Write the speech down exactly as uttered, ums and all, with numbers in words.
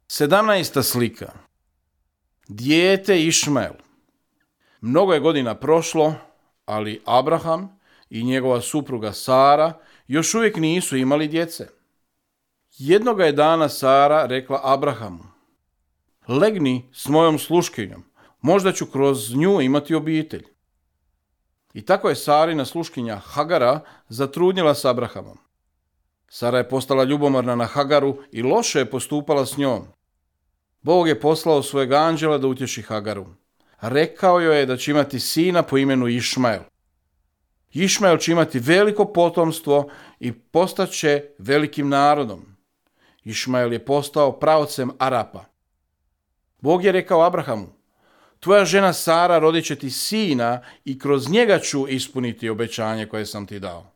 Sedamnaesta slika. Dijete Išmael. Mnogo je godina prošlo, ali Abraham i njegova supruga Sara još uvijek nisu imali djece. Jednoga je dana Sara rekla Abrahamu: legni s mojom sluškinjom, možda ću kroz nju imati obitelj. I tako je Sarina sluškinja Hagara zatrudnjela s Abrahamom. Sara je postala ljubomorna na Hagaru i loše je postupala s njom. Bog je poslao svojeg anđela da utješi Hagaru. Rekao joj je da će imati sina po imenu Išmael. Išmael će imati veliko potomstvo i postaće velikim narodom. Išmael je postao praocem Arapa. Bog je rekao Abrahamu: tvoja žena Sara rodit će ti sina i kroz njega ću ispuniti obećanje koje sam ti dao.